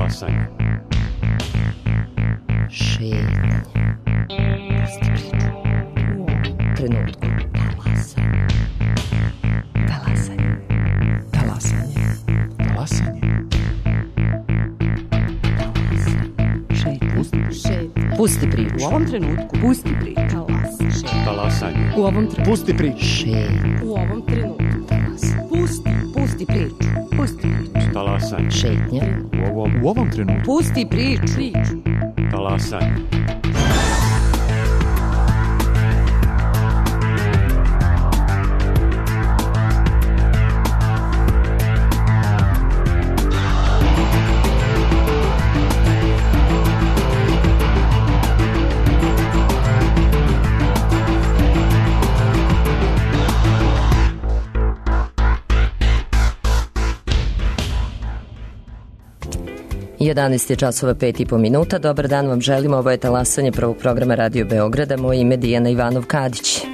Talasanje. Šetnje. Trenutku. Talasanje. Talasanje. Talasanje. Pusti priču. U ovom trenutku. Pusti priču. Talasanje. U ovom trenutku. Pusti priču. U ovom trenutku. Pusti priču. Pusti priču. Talasanje. Šetnja. U ovom trenutku. Pusti priču. Talasanje. Jedanaest je časova 5,5 Dobar dan vam želimo, ovo je Talasanje prvog programa Radio Beograda. Moje ime je Dijana Ivanov-Kadić.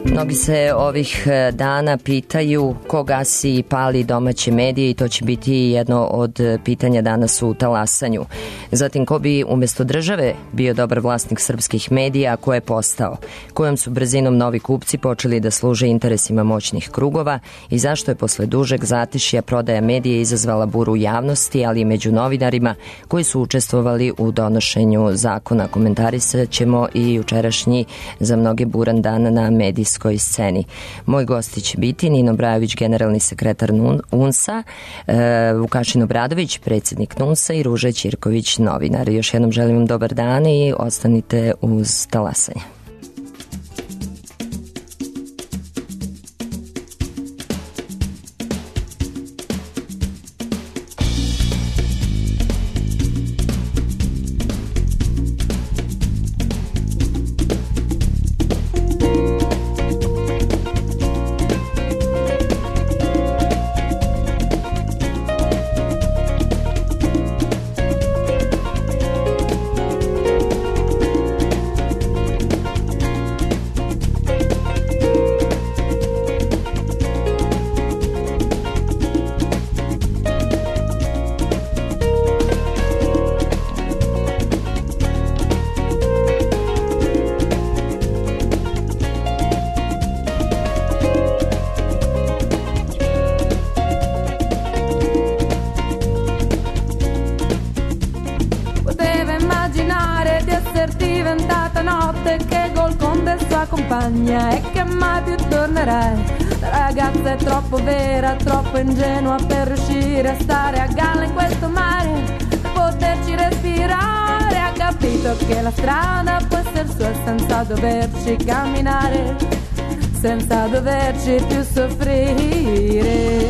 Mnogi se ovih dana pitaju ko gasi i pali domaće medije i to će biti jedno od pitanja danas u Talasanju. Zatim, ko bi umjesto države bio dobar vlasnik srpskih medija, a ko je postao? Kojom su brzinom novi kupci počeli da služe interesima moćnih krugova i zašto je posle dužeg zatišja prodaja medija izazvala buru javnosti, ali i među novinarima koji su učestvovali u donošenju zakona. Komentarisat ćemo i jučerašnji za mnoge buran dan na medijskoj sceni. Moj gosti će biti Nino Brajović, generalni sekretar UNS-a, Vukašin Obradović, predsjednik NUNS-a i Ruža Ćirković, novinar. Još jednom želim vam dobar dan i ostanite uz Talasanje. E che mai più tornerai. La ragazza è troppo vera, troppo ingenua per riuscire a stare a galla in questo mare, per poterci respirare. Ha capito che la strada può essere sua senza doverci camminare, senza doverci più soffrire.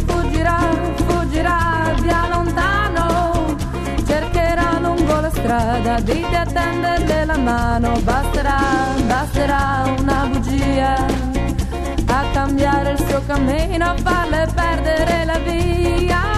Fuggirà, fuggirà via lontano, cercherà lungo la strada di tenderle la mano. Basterà, basterà una bugia a cambiare il suo cammino, a farle perdere la via.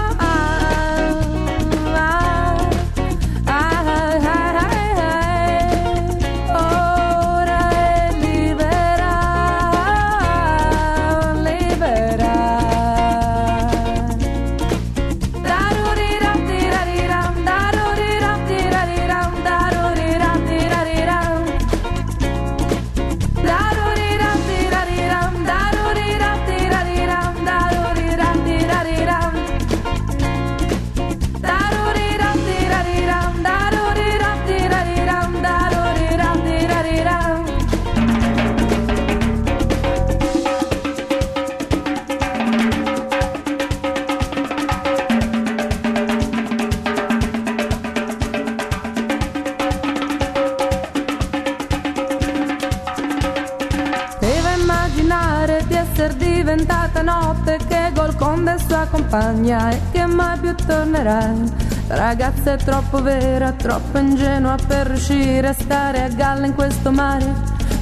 Diventata notte che Golconda è sua compagna e che mai più tornerai. La ragazza è troppo vera, troppo ingenua per riuscire a stare a galla in questo mare,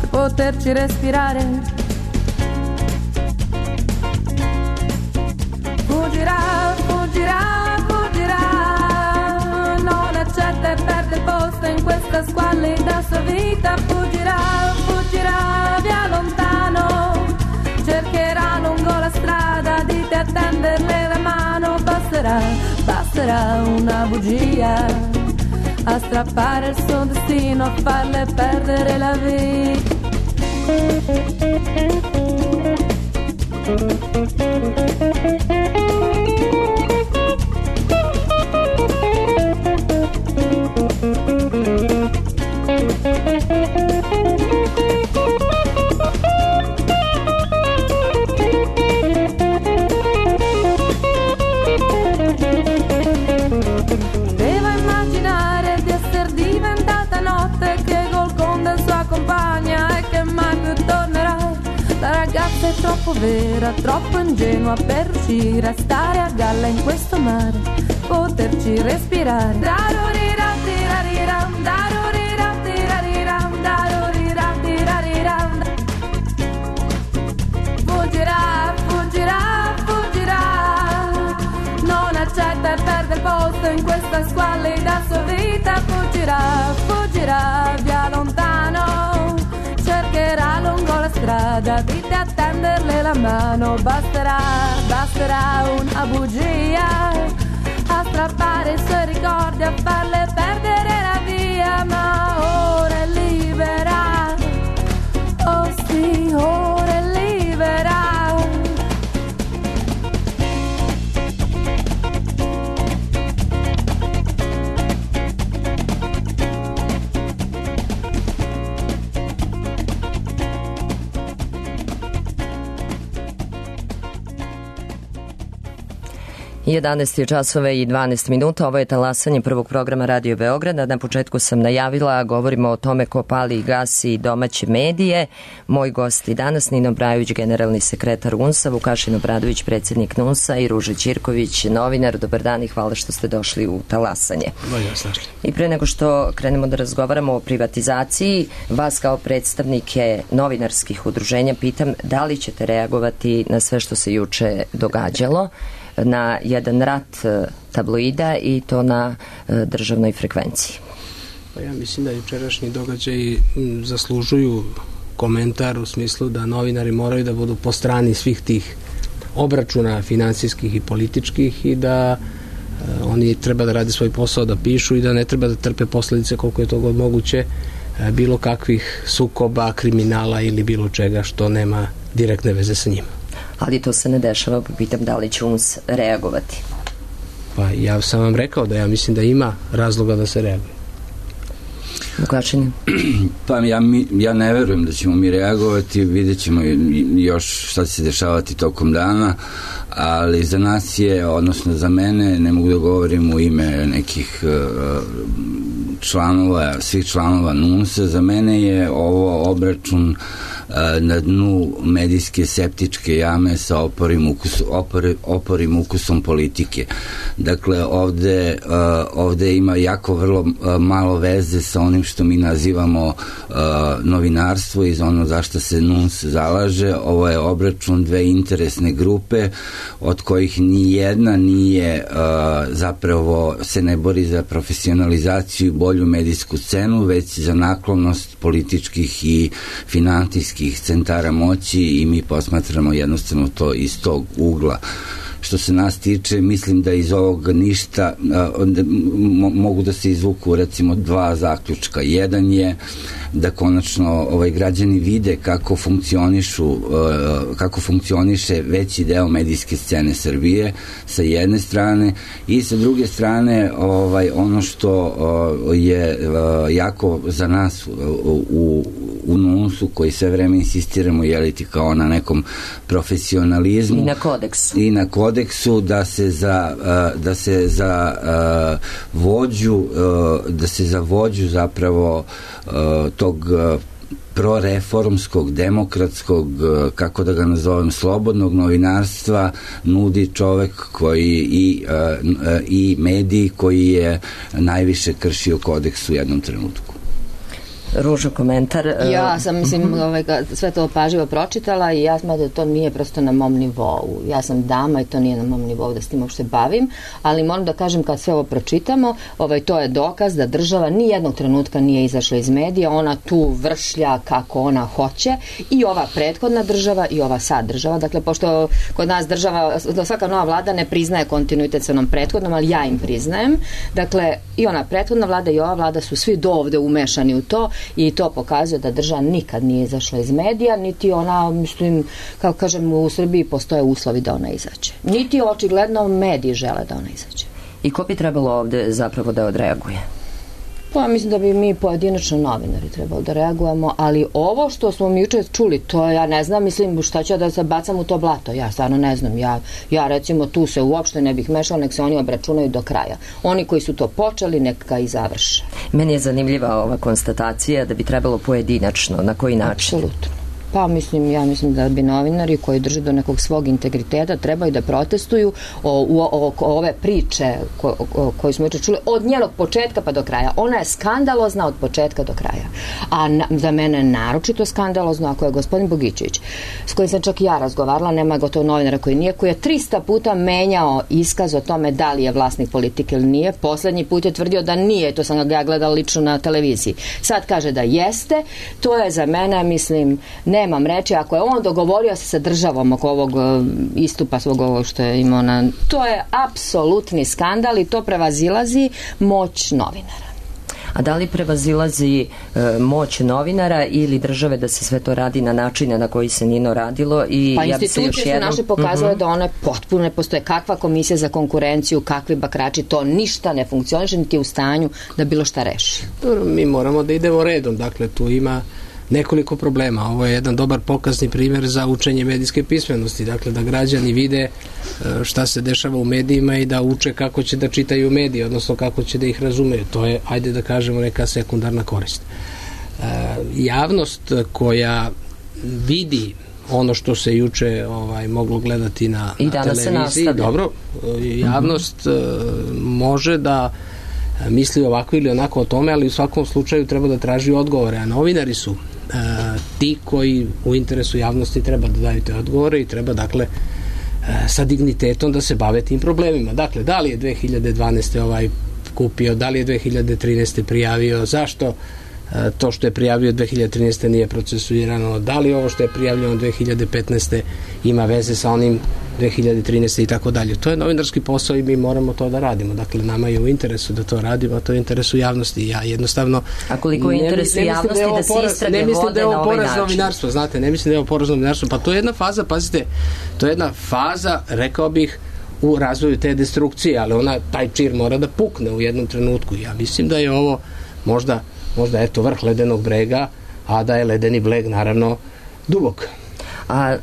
per poterci respirare. Fuggirà, fuggirà, fuggirà, non accetta e perde il posto in questa squallida sua vita. Fuggirà, fuggirà via lontano, cercherà lungo la strada di te a tenderle la mano. Basterà, basterà una bugia a strappare il suo destino, a farle perdere la vita. Devo immaginare di essere diventata notte, che col conde sua compagna e che mai più tornerà. La ragazza è troppo vera, troppo ingenua per riuscire a stare a galla in questo mare, poterci respirare. Darurira, tirariram, darurira, tirariram, darurira, tirariram. Fuggirà, fuggirà, fuggirà, non accetta e perde il posto in questa squallida sua vita. Fuggirà, fuggirà via lontano, cercherà lungo la strada di te a tenderle la mano. Basterà, basterà una bugia a strappare i suoi ricordi, a farle perdere la via. Ma ora è libera, oh sì, ora è libera. I 11 časova i 12 minuta, ovo je talasanje prvog programa Radio Beograda. Na početku sam najavila, govorimo o tome ko pali i gasi domaće medije. Moj gost i danas Nino Brajović, generalni sekretar UNS-a, Vukašin Obradović, predsjednik NUNS-a i Ruža Ćirković, novinar. Dobar dan i hvala što ste došli u talasanje. I pre nego što krenemo da razgovaramo o privatizaciji, vas kao predstavnike novinarskih udruženja pitam da li ćete reagovati na sve što se juče događalo, na jedan rat tabloida i to na državnoj frekvenciji. Pa ja mislim da jučerašnji događaji zaslužuju komentar u smislu da novinari moraju da budu po strani svih tih obračuna finansijskih i političkih i da oni treba da rade svoj posao, da pišu i da ne treba da trpe posledice koliko je to god moguće bilo kakvih sukoba, kriminala ili bilo čega što nema direktne veze sa njima. Ali to se ne dešava, pa pitam da li će UNS reagovati. Pa ja sam vam rekao da ja mislim da ima razloga da se reaguje. Vukašin? Pa ja ne verujem da ćemo mi reagovati, vidjet ćemo još šta će se dešavati tokom dana, ali za nas je, odnosno za mene, ne mogu da govorim u ime nekih članova, svih članova NUNS-a, za mene je ovo obračun na dnu medijske septičke jame sa oporim ukusom politike. Dakle, ovde ima jako vrlo malo veze sa onim što mi nazivamo novinarstvo i za ono zašto se NUNS zalaže. Ovo je obračun dve interesne grupe od kojih ni jedna nije zapravo se ne bori za profesionalizaciju i bolju medijsku scenu, već za naklonost političkih i finansijskih centara moći i mi posmatramo jednostavno to iz tog ugla. Što se nas tiče, mislim da iz ovog ništa mogu da se izvuku recimo dva zaključka. Jedan je da konačno građani vide kako funkcioniše veći deo medijske scene Srbije sa jedne strane i sa druge strane ono što je jako za nas u NUNS-u koji sve vreme insistiramo jeliti kao na nekom profesionalizmu i na kodeksu da se za vođu zapravo tog proreformskog, demokratskog, kako da ga nazovem, slobodnog novinarstva nudi čovek koji i mediji koji je najviše kršio kodeks u jednom trenutku. Ružo, komentar. Ja sam, mislim, sve to pažljivo pročitala i ja smatram da to nije prosto na mom nivou. Ja sam dama i to nije na mom nivou da s tim uopšte bavim, ali moram da kažem kad sve ovo pročitamo, to je dokaz da država ni jednog trenutka nije izašla iz medija, ona tu vršlja kako ona hoće i ova prethodna država i ova sad država. Dakle, pošto kod nas država, svaka nova vlada ne priznaje kontinuitet sa onom prethodnom, ali ja im priznajem. Dakle, i ona prethodna vlada i ova vlada su svi do ovde umešani u to i to pokazuje da država nikad nije izašla iz medija, niti ona, mislim, kako kažem, u Srbiji postoje uslovi da ona izađe. Niti očigledno mediji žele da ona izađe. I ko bi trebalo ovde zapravo da odreaguje? Pa mislim da bi mi pojedinačno novinari trebalo da reagujemo, ali ovo što smo mi juče čuli, to ja ne znam, mislim šta ću da se bacam u to blato, ja stvarno ne znam, ja recimo tu se uopšte ne bih mešala, nek se oni obračunaju do kraja. Oni koji su to počeli, neka i završe. Meni je zanimljiva ova konstatacija da bi trebalo pojedinačno, na koji način? Apsolutno. Pa ja mislim da bi novinari koji drže do nekog svog integriteta trebaju da protestuju oko ove priče koju smo juče čuli od njenog početka pa do kraja. Ona je skandalozna od početka do kraja. A za mene je naročito skandalozno ako je gospodin Bogićević, s kojim sam čak i ja razgovarala, nema gotovo novinara koji nije, koji je 300 puta menjao iskaz o tome da li je vlasnik politike ili nije. Poslednji put je tvrdio da nije, to sam ga gledala lično na televiziji. Sad kaže da jeste. To je za mene, mislim, nemam reći, ako je on dogovorio se sa državom oko ovog istupa svog ovog što je imao to je apsolutni skandal i to prevazilazi moć novinara. A da li prevazilazi moć novinara ili države da se sve to radi na načine na koji se Nino radilo? I pa institucije su naše pokazale da one potpuno ne postoje. Kakva komisija za konkurenciju, kakvi bakrači, to ništa ne funkcioniše, niti je u stanju da bilo šta reši. Mi moramo da idemo redom, dakle tu ima nekoliko problema. Ovo je jedan dobar pokazni primjer za učenje medijske pismenosti, dakle da građani vide šta se dešava u medijima i da uče kako će da čitaju medije, odnosno kako će da ih razumeju. To je, ajde da kažemo, neka sekundarna korist. Javnost koja vidi ono što se juče moglo gledati na televiziji, dobro, javnost može da misli ovako ili onako o tome, ali u svakom slučaju treba da traži odgovore, a novinari su ti koji u interesu javnosti treba da daju te odgovore i treba, dakle, sa dignitetom da se bave tim problemima. Dakle, da li je 2012. kupio, da li je 2013. prijavio, zašto to što je prijavio 2013. nije procesuirano, da li ovo što je prijavljeno 2015. ima veze sa onim 2013. i tako dalje. To je novinarski posao i mi moramo to da radimo. Dakle, nama je u interesu da to radimo, a to je u interesu javnosti. Ja jednostavno... A koliko je u interesu javnosti da se istrage vode na ovaj način? Znate, ne mislim da je ovo poraz novinarstvo. Pa to je jedna faza, pazite, to je jedna faza, rekao bih, u razvoju te destrukcije, ali taj čir mora da pukne u jednom trenutku. Ja mislim da je ovo možda eto vrh ledenog brega, a da je ledeni breg naravno dubok. A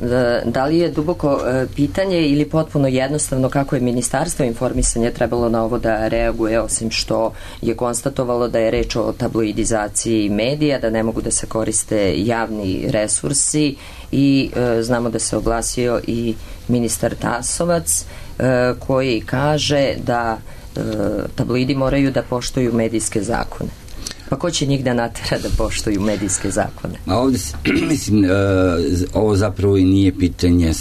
da li je duboko pitanje ili potpuno jednostavno kako je Ministarstvo informisanja trebalo na ovo da reaguje, osim što je konstatovalo da je reč o tabloidizaciji medija, da ne mogu da se koriste javni resursi i znamo da se oglasio i ministar Tasovac koji kaže da tabloidi moraju da poštuju medijske zakone. Pa ko će njih da natera da poštuju medijske zakone? A ovde, mislim, ovo zapravo i nije pitanje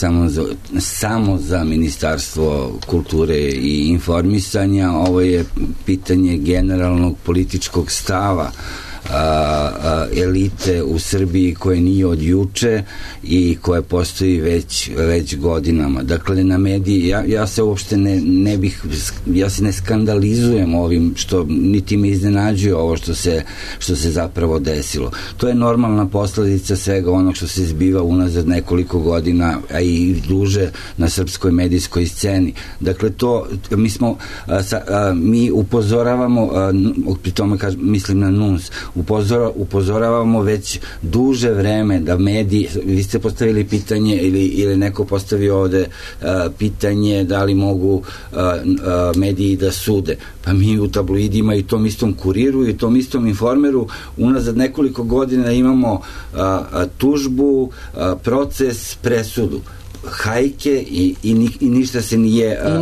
samo za Ministarstvo kulture i informisanja, ovo je pitanje generalnog političkog stava elite u Srbiji koje nije od juče i koje postoji već godinama. Dakle, na mediji, ja se uopšte ja se ne skandalizujem ovim što niti me iznenađuje ovo što se zapravo desilo. To je normalna posledica svega onog što se zbiva unazad nekoliko godina, a i duže na srpskoj medijskoj sceni. Dakle, mi upozoravamo, pri tome mislim na NUNS, upozoravamo već duže vreme da mediji, vi ste postavili pitanje ili neko postavio ovde pitanje da li mogu mediji da sude. Pa mi u tabloidima i tom istom Kuriru i tom istom Informeru unazad nekoliko godina imamo tužbu, proces, presudu. hajke i ništa se nije... I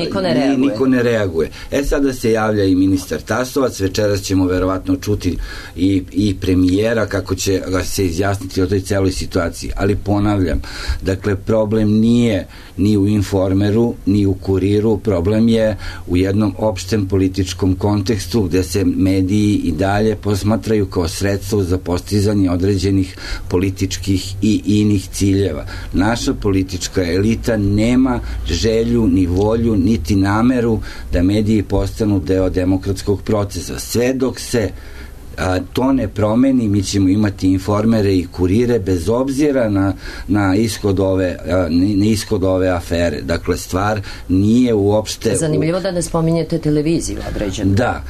niko ne reaguje. Sada se javlja i ministar Tasovac, večeras ćemo verovatno čuti i premijera kako će se izjasniti o toj celoj situaciji. Ali ponavljam, dakle, problem nije ni u Informeru, ni u Kuriru, problem je u jednom opštem političkom kontekstu gde se mediji i dalje posmatraju kao sredstvo za postizanje određenih političkih i inih ciljeva. Naša politička elita nema želju, ni volju, niti nameru da mediji postanu deo demokratskog procesa. Sve dok se to ne promeni, mi ćemo imati Informere i Kurire bez obzira na ishod ove afere. Dakle, stvar nije uopšte... Zanimljivo da ne spominjete televiziju određenu. Da,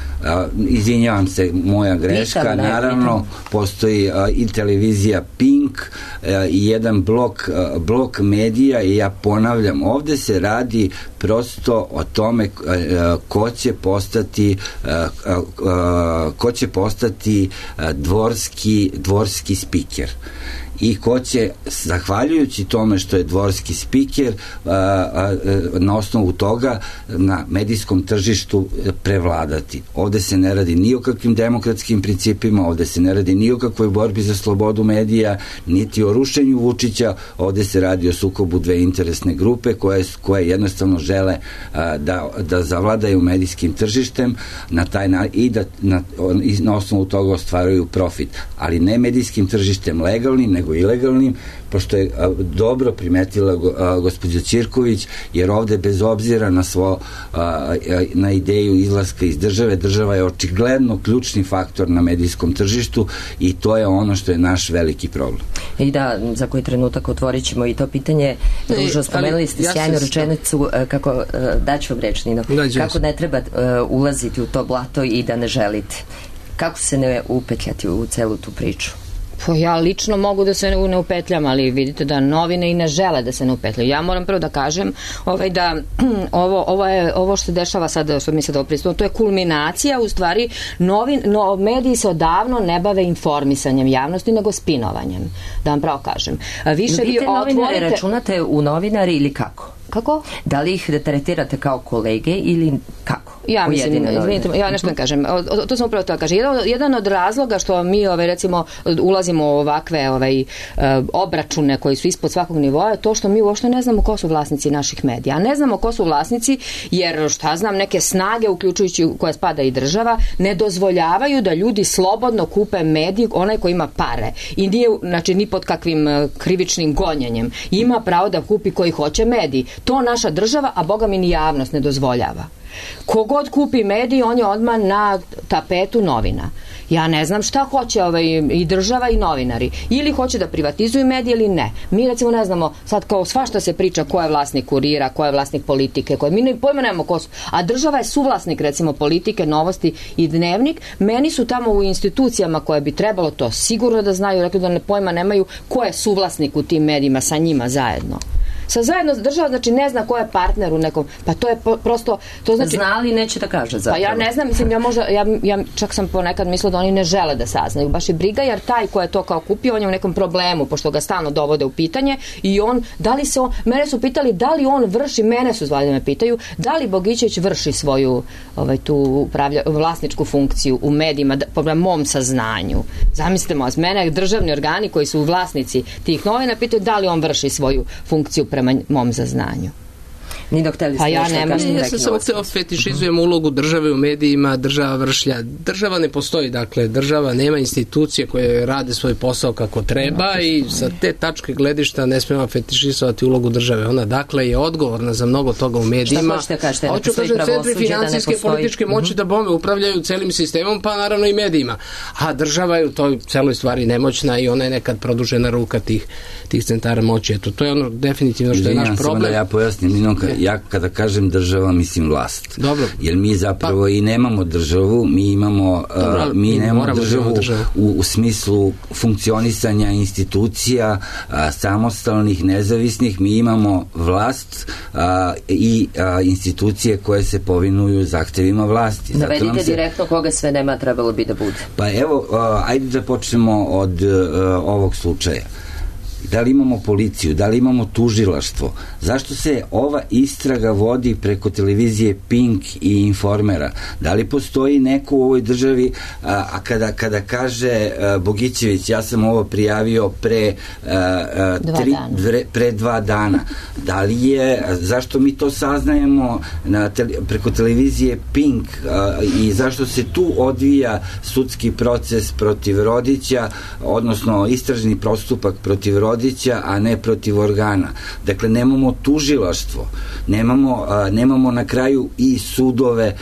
izvinjavam se, moja greška. Naravno, postoji i televizija Pink i jedan blok medija i ja ponavljam, ovde se radi prosto o tome ko će postati dvorski spiker i ko će, zahvaljujući tome što je dvorski spiker, na osnovu toga na medijskom tržištu prevladati. Ovde se ne radi ni o kakvim demokratskim principima, ovde se ne radi ni o kakvoj borbi za slobodu medija, niti o rušenju Vučića, ovde se radi o sukobu dve interesne grupe koje jednostavno žele da zavladaju medijskim tržištem i da na osnovu toga ostvaruju profit. Ali ne medijskim tržištem legalnim, nego ilegalnim, pošto je dobro primetila gospođa Ćirković, jer ovde bez obzira na ideju izlaska iz države, država je očigledno ključni faktor na medijskom tržištu i to je ono što je naš veliki problem. I da, za koji trenutak otvorit ćemo i to pitanje. Ružo, spomenuli ste sjajnu rečenicu, kako, daću vam reč, Nino, kako ne treba ulaziti u to blato i da ne želite. Kako se ne upetljati u celu tu priču? Pa ja lično mogu da se ne upetljam, ali vidite da novine i ne žele da se ne upetljaju. Ja moram prvo da kažem da ovo što se dešava sada, što mi sad pristupno, to je kulminacija, u stvari mediji se odavno ne bave informisanjem javnosti, nego spinovanjem, da vam pravo kažem. Više vi novinari računate u novinari ili kako? Kako? Da li ih tretirate kao kolege ili kako? Ja mislim, izvinite, ja nešto ne kažem. To sam upravo to kažem. Jedan od razloga što mi recimo ulazimo u ovakve obračune koji su ispod svakog nivoa je to što mi uopšte ne znamo ko su vlasnici naših medija. A ne znamo ko su vlasnici jer neke snage, uključujući koja spada i država, ne dozvoljavaju da ljudi slobodno kupe medij, onaj ko ima pare. I nije, znači, ni pod kakvim krivičnim gonjenjem. Ima pravo da kupi koji hoće medij. To naša država, a boga mi ni javnost ne dozvoljava. Kogod kupi medij, on je odmah na tapetu novina. Ja ne znam šta hoće i država i novinari. Ili hoće da privatizuju medije ili ne. Mi recimo ne znamo, sad kao svašta se priča ko je vlasnik Kurira, ko je vlasnik Politike, mi pojma nemamo ko su. A država je suvlasnik recimo Politike, Novosti i Dnevnik. Meni su tamo u institucijama koje bi trebalo to sigurno da znaju, rekli da pojma nemaju ko je suvlasnik u tim medijima sa njima zajedno. Zajedno država, znači ne zna ko je partner u nekom, pa to je prosto, to znači... Zna ali neće da kaže zapravo. Pa ja ne znam, mislim, ja čak sam ponekad mislila da oni ne žele da saznaju, baš je briga, jer taj ko je to kao kupio, on je u nekom problemu, pošto ga stalno dovode u pitanje i mene su pitali da li on vrši, mene su zvali da me pitaju, da li Bogićević vrši svoju tu vlasničku funkciju u medijima, po mom saznanju. Zamislite, mene državni organi koji su vlasnici tih novina pitaju da li on vrši svoju funkciju prema mom zaznanju. Ni dok teli ste ja sam samo hteo fetišizujem ulogu države u medijima, država vršlja. Država ne postoji, dakle, država nema institucije koje rade svoj posao kako treba i sa te tačke gledišta ne smemo fetišizovati ulogu države. Ona, dakle, je odgovorna za mnogo toga u medijima. Šta hoćete kažete? Hoću kažem, centri finansijske političke moći da bome upravljaju celim sistemom, pa naravno i medijima. A država je u toj celoj stvari nemoćna i ona je nekad produžena ruka tih centara moći. Eto, to je ono definitivno što je naš problem. Da ja pojasnim, ja kada kažem država, mislim vlast. Dobro. Jer mi zapravo i nemamo državu, mi imamo nemamo državu u smislu funkcionisanja institucija samostalnih, nezavisnih, mi imamo vlast i institucije koje se povinuju zahtevima vlasti. Navedite direktno koga sve nema trebalo bi da bude. Pa evo, ajde da počnemo od ovog slučaja. Da li imamo policiju, da li imamo tužilaštvo? Zašto se ova istraga vodi preko televizije Pink i Informera? Da li postoji neko u ovoj državi, a kada kaže Bogićević, ja sam ovo prijavio pre 2 dana, da li je, zašto mi to saznajemo preko televizije Pink i zašto se tu odvija sudski proces protiv Rodića, odnosno istražni postupak protiv Rodića, a ne protiv organa. Dakle, nemamo tužilaštvo, nemamo na kraju i sudove,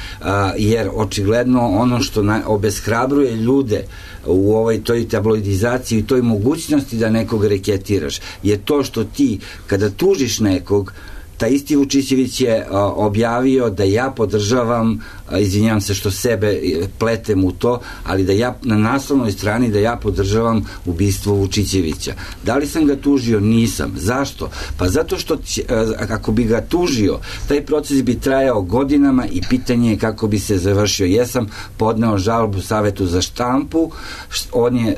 jer očigledno ono što obeshrabruje ljude u toj tabloidizaciji i toj mogućnosti da nekog reketiraš je to što ti, kada tužiš nekog, taj isti Vučićević je objavio da ja podržavam, izvinjavam se što sebe pletem u to, ali da ja na naslovnoj strani da ja podržavam ubistvo Vučićevića. Da li sam ga tužio? Nisam. Zašto? Pa zato što ako bi ga tužio, taj proces bi trajao godinama i pitanje je kako bi se završio. Jesam podneo žalbu Savetu za štampu,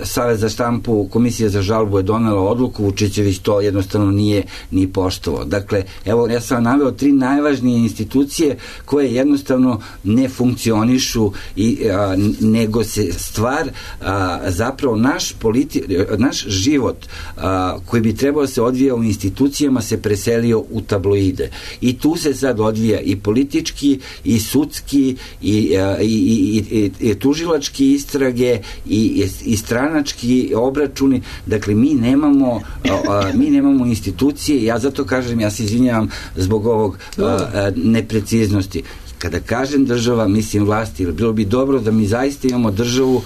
Savet za štampu, Komisija za žalbu je donela odluku, Vučićević to jednostavno nije ni poštovao. Dakle, evo, ja sam naveo 3 najvažnije institucije koje jednostavno ne funkcionišu nego se stvar zapravo naš život koji bi trebao se odvija u institucijama se preselio u tabloide i tu se sad odvija i politički i sudski i tužilački istrage i stranački obračuni. Dakle, mi nemamo institucije. Ja zato kažem, ja se izvinjavam zbog ovog nepreciznosti. Kada kažem država, mislim vlasti, bilo bi dobro da mi zaista imamo državu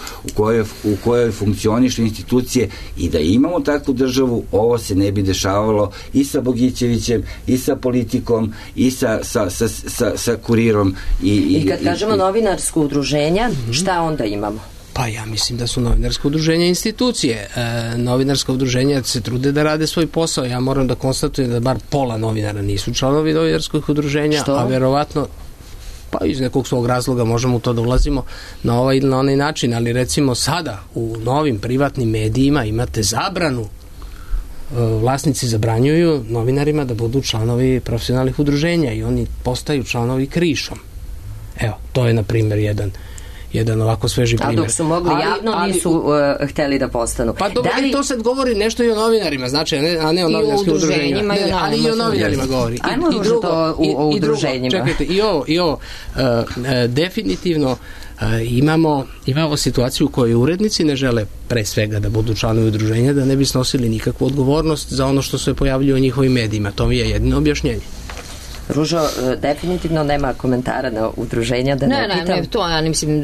u kojoj funkcionišu institucije i da imamo takvu državu, ovo se ne bi dešavalo i sa Bogićevićem, i sa politikom, i sa Kurirom. I kad kažemo novinarsko udruženja, šta onda imamo? Pa ja mislim da su novinarsko udruženja institucije. Novinarska udruženja se trude da rade svoj posao. Ja moram da konstatujem da bar pola novinara nisu članovi novinarskih udruženja, što? A verovatno pa iz nekog svog razloga možemo u to da ulazimo na ovaj ili na onaj način, ali recimo sada u novim privatnim medijima imate zabranu, vlasnici zabranjuju novinarima da budu članovi profesionalnih udruženja i oni postaju članovi krišom. Evo, to je na primjer jedan ovako sveži primjer. A dok su mogli javno, nisu hteli da postanu. Pa dobro, to sad govori nešto i o novinarima, znači, a ne o novinarskim udruženjima. Ali i o novinarima govori. Ajmo možda to o udruženjima. Čekajte, i ovo definitivno imamo situaciju u kojoj urednici ne žele pre svega da budu članovi udruženja, da ne bi snosili nikakvu odgovornost za ono što se pojavljuje u njihovim medijima. To mi je jedino objašnjenje. Ružo, definitivno nema komentara na udruženja, da ne pitam. Ne, to ja ne mislim,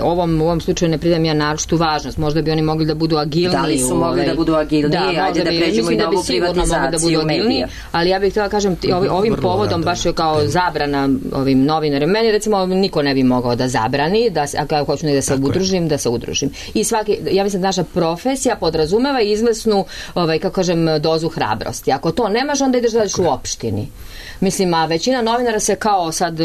u ovom slučaju ne pridam ja naročitu važnost. Možda bi oni mogli da budu agilniji. Da li su mogli da budu agilniji? Ajde da pređemo i na ovu privatizaciju medija. Ali ja bih htjela kažem, ovim povodom, baš je kao zabrana ovim novinarima. Meni recimo niko ne bi mogao da zabrani, ako hoću da se udružim, da se udružim. I ja mislim da naša profesija podrazumeva izvesnu, kako kažem, dozu hrabrosti. Ako to nemaš, onda ideš da radiš u opštini. Mislim, a većina novinara se kao sad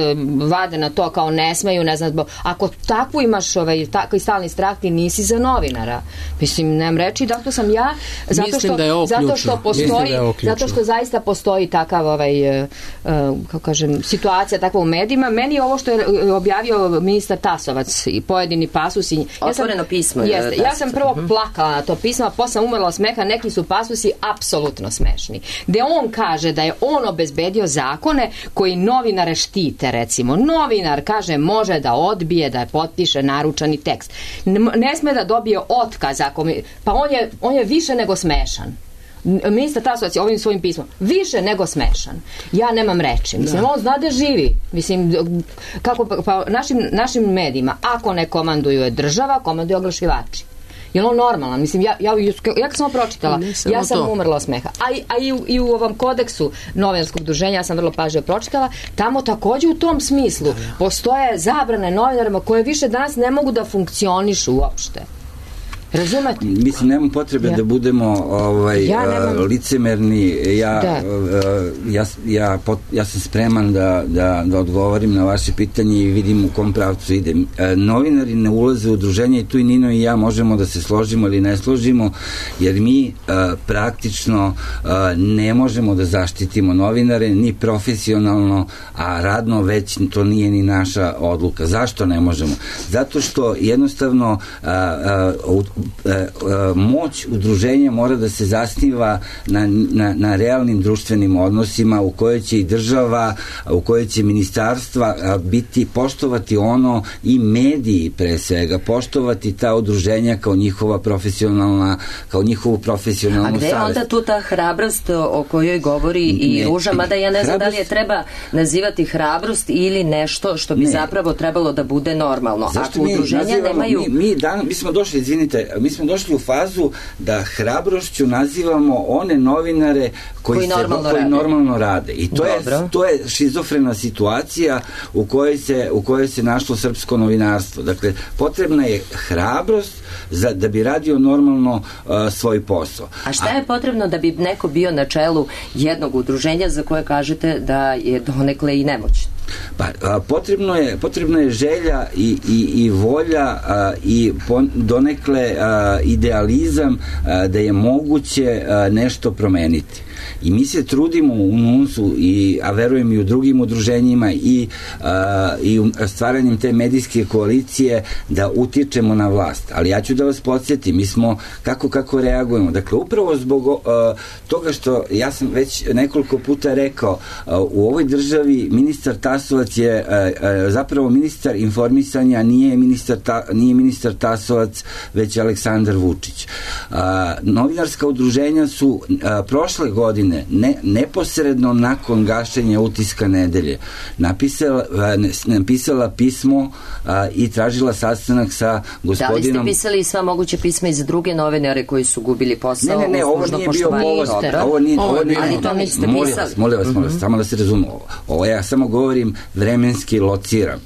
vade na to, kao ne smeju, ne znam, ako takvu imaš tako i stalni strah, ti nisi za novinara. Mislim, nemam reći, dakle sam ja, zato što zaista postoji takav, kako kažem, situacija takva u medijima. Meni je ovo što je objavio ministar Tasovac i pojedini pasusi. Otvoreno pismo. Ja sam prvo plakala na to pismo, a posle sam umrla od smeha, neki su pasusi apsolutno smešni. Gde on kaže da je on obezbedio zakone koji novinare štite, recimo. Novinar, kaže, može da odbije da potpiše naručani tekst. Ne sme da dobije otkaz, pa on je više nego smešan. Ministar Tasovac je ovim svojim pismom više nego smešan. Ja nemam reči. Mislim, on zna da živi. Mislim, pa našim medijima, ako ne komanduju država, komanduju oglašivači. Je on normalan? Mislim, ja kad sam ovo pročitala, ja sam umrla od smeha. A i u ovom kodeksu novinarskog udruženja, ja sam vrlo pažljivo pročitala, tamo takođe u tom smislu postoje zabrane novinarima koje više danas ne mogu da funkcionišu uopšte. Razumete? Mislim, nemam potrebe da budemo licemerni. Ja sam spreman da odgovorim na vaše pitanje i vidim u kom pravcu ide. Novinari ne ulaze u udruženje i tu i Nino i ja možemo da se složimo ili ne složimo, jer mi praktično ne možemo da zaštitimo novinare ni profesionalno, a radno već to nije ni naša odluka. Zašto ne možemo? Zato što jednostavno moć udruženja mora da se zasniva na realnim društvenim odnosima u kojoj će i država, u kojoj će ministarstva poštovati ono i mediji pre svega, poštovati ta udruženja kao njihova profesionalna, kao njihovu profesionalnu savest. A gde je onda tu ta hrabrost o kojoj govori i Ruža, mada ja ne znam da li je treba nazivati hrabrost ili nešto što bi zapravo trebalo da bude normalno. Zašto ako udruženja nemaju... Mi smo došli u fazu da hrabrošću nazivamo one novinare koji normalno rade. I to je šizofrena situacija u kojoj se našlo srpsko novinarstvo. Dakle, potrebna je hrabrost da bi radio normalno svoj posao. A šta je potrebno da bi neko bio na čelu jednog udruženja za koje kažete da je donekle i nemoćno? Potrebno je želja i volja i donekle idealizam da je moguće nešto promeniti. I mi se trudimo u NUNS-u, a verujem i u drugim udruženjima i stvaranjem te medijske koalicije da utičemo na vlast. Ali ja ću da vas podsjetim, mi smo kako reagujemo. Dakle, upravo zbog toga što ja sam već nekoliko puta rekao, u ovoj državi ministar Tasovac je zapravo ministar informisanja, nije ministar Tasovac, već Aleksandar Vučić. Novinarska udruženja su prošle godine, neposredno nakon gašenja Utiska nedelje, napisala pismo i tražila sastanak sa gospodinom... Da li ste pisali i sva moguće pisma iz druge novinare koji su gubili posao? Ne, ovo nije bio povod. Ali to niste pisali. Molim vas, samo da se razume. Ovo ja samo govorim vremenski lociram.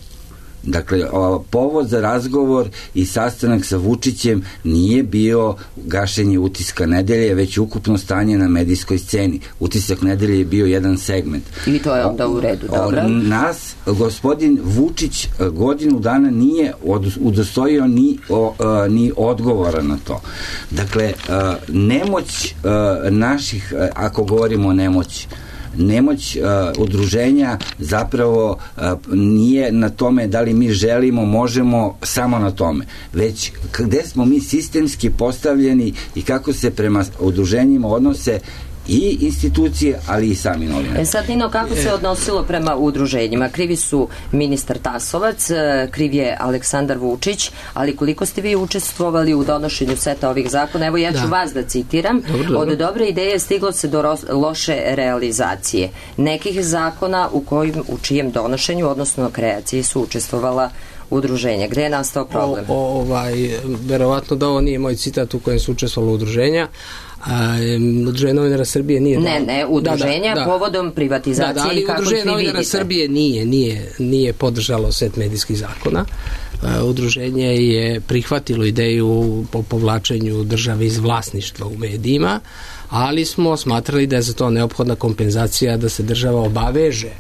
Dakle, povod za razgovor i sastanak sa Vučićem nije bio gašenje Utiska nedelje, već ukupno stanje na medijskoj sceni. Utisak nedelje je bio jedan segment. I to je onda u redu, dobro? Nas, gospodin Vučić, godinu dana nije udostojio ni odgovora na to. Dakle, nemoć naših, ako govorimo o nemoć udruženja zapravo nije na tome da li mi želimo, možemo, samo na tome. Već gde smo mi sistemski postavljeni i kako se prema udruženjima odnose i institucije, ali i sami novinari. Sad, Nino, kako se odnosilo prema udruženjima? Krivi su ministar Tasovac, kriv je Aleksandar Vučić, ali koliko ste vi učestvovali u donošenju seta ovih zakona? Evo, ja ću vas da citiram. Dobro. Od dobre ideje stiglo se do loše realizacije nekih zakona u čijem donošenju, odnosno kreaciji, su učestvovala udruženja. Gde je nastao problem? Verovatno da ovo nije moj citat u kojem su učestvovala udruženja. Udruženje novinara Srbije nije... Ne, udruženja povodom privatizacije i kako ih vi vidite. Udruženje novinara Srbije nije podržalo set medijskih zakona. Udruženje je prihvatilo ideju o povlačenju države iz vlasništva u medijima, ali smo smatrali da je za to neophodna kompenzacija, da se država obaveže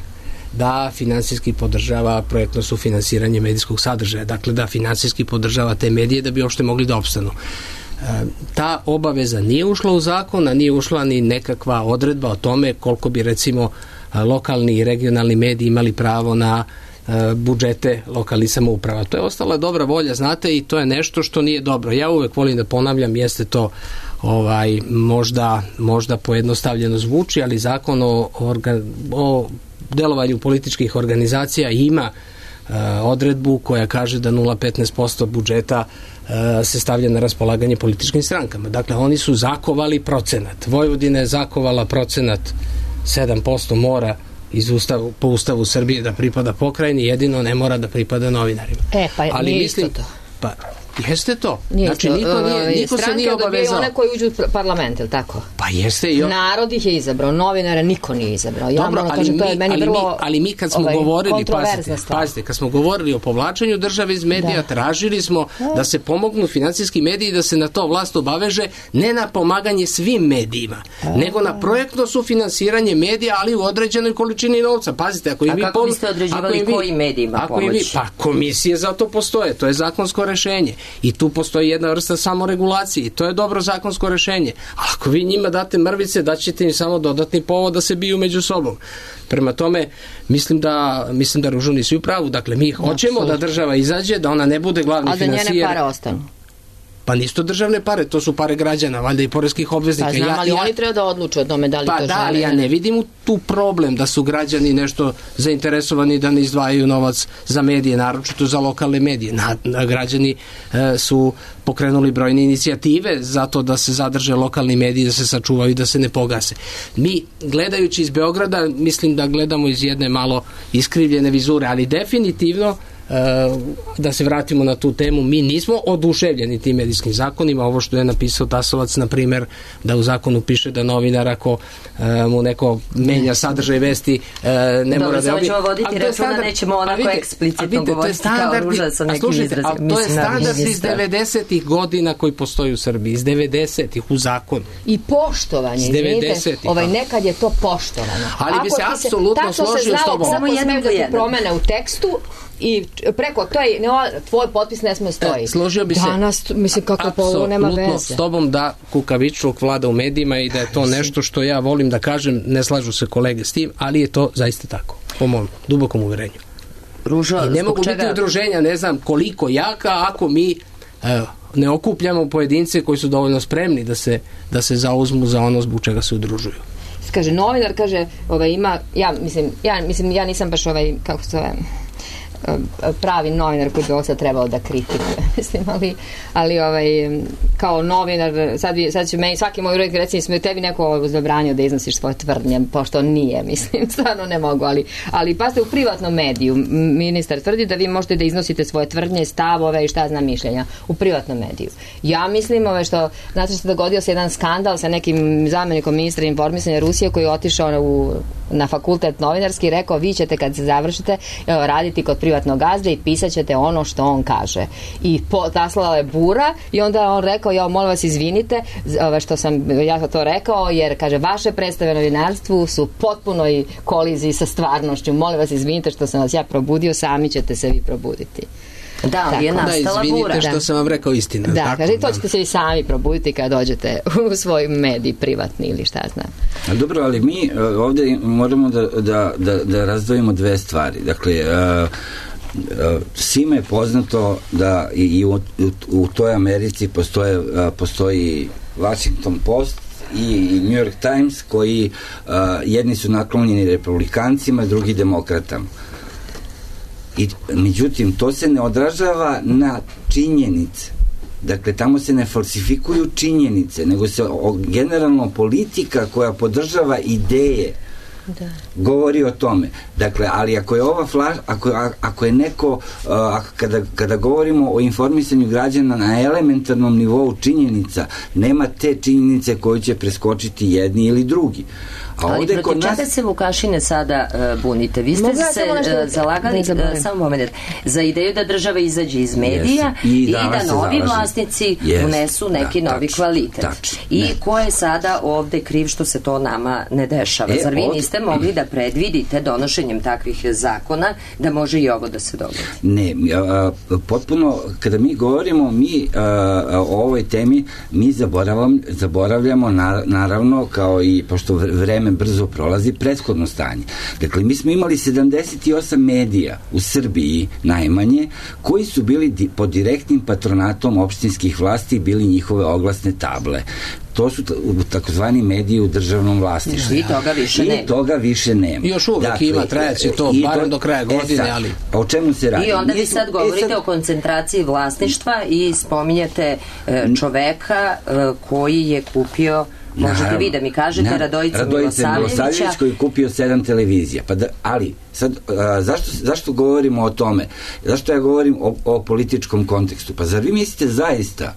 da finansijski podržava projektno sufinansiranje medijskog sadržaja, dakle da finansijski podržava te medije da bi uopšte mogli da opstanu. Ta obaveza nije ušla u zakon, a nije ušla ni nekakva odredba o tome koliko bi recimo lokalni i regionalni mediji imali pravo na budžete lokalnih samouprava. To je ostala dobra volja, znate, i to je nešto što nije dobro. Ja uvek volim da ponavljam, jeste to možda pojednostavljeno zvuči, ali zakon o delovanju političkih organizacija ima odredbu koja kaže da 0,15% budžeta se stavlja na raspolaganje političkim strankama. Dakle, oni su zakovali procenat. Vojvodina je zakovala procenat 7% mora po Ustavu Srbije da pripada pokrajini, jedino ne mora da pripada novinarima. Ali nije isto to. Jeste to. Nije znači, to, niko se nije obavezao. One koji uđu u parlament, ili tako? Pa jeste i narod ih je izabrao, novinara niko nije izabrao. Ja dobro, moram kažem, to je meni vrlo ali mi kad smo govorili, pazite, kad smo govorili o povlačenju države iz medija, tražili smo da se pomognu finansijski mediji, da se na to vlast obaveže, ne na pomaganje svim medijima, nego na projektno sufinansiranje medija, ali u određenoj količini novca. Pazite, ako kako biste određivali kojim medijima pomoći? Pa komisije za to postoje, to je zakonsko rešenje. I tu postoji jedna vrsta samoregulacije i to je dobro zakonsko rešenje. A ako vi njima date mrvice, daćete im samo dodatni povod da se biju među sobom. Prema tome, mislim da Ružo nisu u pravu. Dakle, mi hoćemo da država izađe, da ona ne bude glavni finansijer. A da njene pare ostanu? Pa nisu to državne pare, to su pare građana, valjda i poreskih obveznika. Pa znam, ali oni treba da odluče o tome da li to žele. Pa da, ali ja ne vidim tu problem da su građani nešto zainteresovani da ne izdvajaju novac za medije, naročito za lokalne medije. Građani su pokrenuli brojne inicijative zato da se zadrže lokalni mediji, da se sačuvaju i da se ne pogase. Mi, gledajući iz Beograda, mislim da gledamo iz jedne malo iskrivljene vizure, ali definitivno da se vratimo na tu temu, mi nismo oduševljeni tim medijskim zakonima. Ovo što je napisao Tasovac, na primjer, da u zakonu piše da novinar ako mu neko menja sadržaj vesti ne mora da ćemo voditi računa, nećemo onako eksplicitno govoriti kao Ruža sa nekim izrazima. To je standard iz 90-ih godina koji postoji u Srbiji, iz 90-ih u zakonu. I poštovanje, izvinite, nekad je to poštovano. Ali bi se apsolutno složio s tobom. Samo jednom da ti promene u tekstu i preko tvoj potpis ne sme stoji. Složio bi se danas, mislim, kako ovo nema veze. Apsolutno s tobom da kukavičluk vlada u medijima i da je to nešto što ja volim da kažem, ne slažu se kolege s tim, ali je to zaista tako, po mom dubokom uverenju. Ružo, i ne mogu biti udruženja, ne znam koliko jaka, ako mi ne okupljamo pojedince koji su dovoljno spremni da se zauzmu za ono zbog čega se udružuju. Kaže, novinar, kaže, ima, ja nisam baš kako se zove, pravi novinar koji bi ovo sad trebao da kritikuje, mislim, ali kao novinar, sad će meni svaki moj roditelj recimo, tebi neko zabranio da iznosiš svoje tvrdnje, pošto nije, mislim, stvarno ne mogu, ali pasite, u privatnom mediju ministar tvrdi da vi možete da iznosite svoje tvrdnje, stavove i šta znam mišljenja u privatnom mediju. Ja mislim, znate što se dogodio se jedan skandal sa nekim zamenikom ministra informisanja Rusije koji je otišao na fakultet novinarski i rekao, vi ćete kad se završite raditi kod privatnog gazde i pisat ćete ono što on kaže. I taslala je bura i onda on rekao, molim vas izvinite što sam ja to rekao, jer kaže, vaše predstave novinarstvu su potpunoj koliziji sa stvarnošću. Molim vas izvinite što sam vas ja probudio, sami ćete se vi probuditi. Da, ali je nastala bura. Izvinite što sam vam rekao istinu. Da, kaže, to ćete se vi sami probuditi kada dođete u svoj medij privatni ili šta znam. Dobro, ali mi ovdje moramo da razdvojimo dve stvari. Dakle, svima je poznato da i u toj Americi postoji Washington Post i New York Times koji jedni su naklonjeni republikancima, drugi demokratama. Međutim, to se ne odražava na činjenice. Dakle, tamo se ne falsifikuju činjenice, nego se generalno politika koja podržava ideje govori o tome. Dakle, ali ako je ako je neko, kada govorimo o informisanju građana na elementarnom nivou činjenica, nema te činjenice koju će preskočiti jedni ili drugi. Ali protiv čega se Vukašine sada bunite? Vi ste se zalagali samo moment, za ideju da država izađe iz medija i da novi vlasnici unesu neki novi kvalitet. I ko je sada ovde kriv što se to nama ne dešava? Zar vi niste mogli da predvidite donošenjem takvih zakona da može i ovo da se dogodi? Ne, potpuno, kada mi govorimo o ovoj temi, mi zaboravljamo naravno, kao i pošto vreme brzo prolazi, prethodno stanje. Dakle, mi smo imali 78 medija u Srbiji najmanje, koji su bili pod direktnim patronatom opštinskih vlasti, bili njihove oglasne table. To su takozvani mediji u državnom vlasništvu. I toga više nema. I još uvek ima, trajaće to, barem do kraja godine, ali... O čemu se radi? I onda vi sad govorite o koncentraciji vlasništva i spominjete čoveka koji je kupio Možete vi da mi kažete Radojica Milosavljevića koji je kupio 7 televizija. Ali, sad, zašto govorimo o tome? Zašto ja govorim o političkom kontekstu? Pa zar vi mislite zaista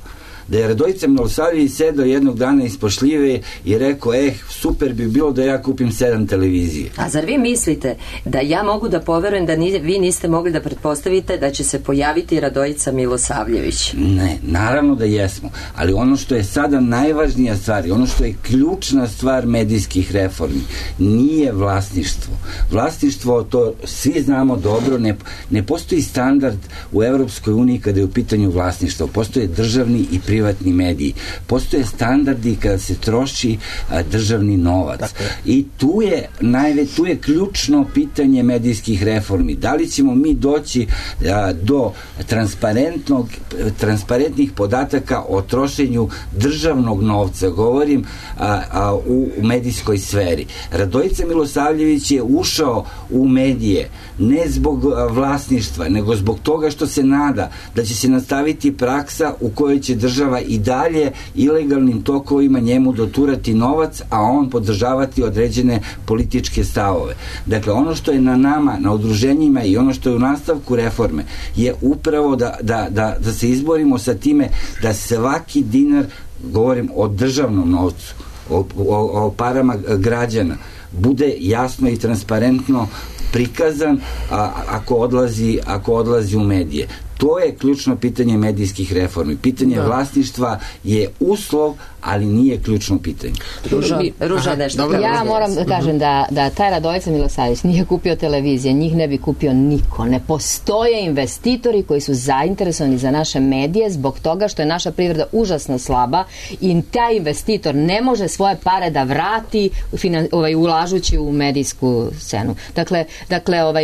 da je Radojica Milosavljević sedao jednog dana ispod šljive i rekao, super bi bilo da ja kupim 7 televizije. A zar vi mislite da ja mogu da poverujem da vi niste mogli da pretpostavite da će se pojaviti Radojica Milosavljević? Ne, naravno da jesmo, ali ono što je sada najvažnija stvar i ono što je ključna stvar medijskih reformi nije vlasništvo. Vlasništvo, to svi znamo dobro, ne postoji standard u Evropskoj uniji kada je u pitanju vlasništvo. Postoje državni i privatni mediji. Postoje standardi kada se troši državni novac. I tu je ključno pitanje medijskih reformi. Da li ćemo mi doći do transparentnih podataka o trošenju državnog novca, govorim u medijskoj sferi. Radojica Milosavljević je ušao u medije ne zbog vlasništva, nego zbog toga što se nada da će se nastaviti praksa u kojoj će država i dalje ilegalnim tokovima njemu doturati novac, a on podržavati određene političke stavove. Dakle, ono što je na nama, na udruženjima i ono što je u nastavku reforme je upravo da se izborimo sa time da svaki dinar, govorim o državnom novcu, o parama građana, bude jasno i transparentno prikazan ako odlazi u medije. To je ključno pitanje medijskih reformi. Pitanje vlasništva je uslov, ali nije ključno pitanje. Ruža nešto. Ja moram da kažem da taj Radojica Milosavljević nije kupio televizije, njih ne bi kupio niko. Ne postoje investitori koji su zainteresovani za naše medije zbog toga što je naša privreda užasno slaba i taj investitor ne može svoje pare da vrati ulažući u medijsku scenu. Dakle,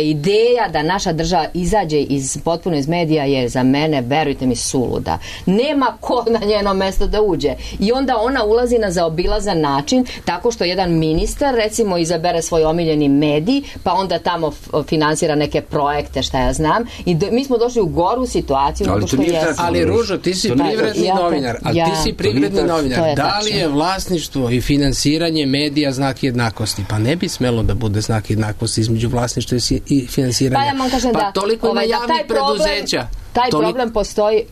ideja da naša država izađe potpuno iz medija je za mene, verujte mi, suluda. Nema ko na njeno mesto da uđe. I onda ona ulazi na zaobilazan način tako što jedan ministar, recimo, izabere svoj omiljeni medij, pa onda tamo finansira neke projekte, šta ja znam. I mi smo došli u goru situaciju. Ali Ružo, ti si privredni novinar. Da li je vlasništvo i finansiranje medija znak jednakosti? Pa ne bi smelo da bude znak jednakosti između vlasništva i finansiranja. Pa ja vam kažem toliko ima javnih preduzeća. Taj problem postoji,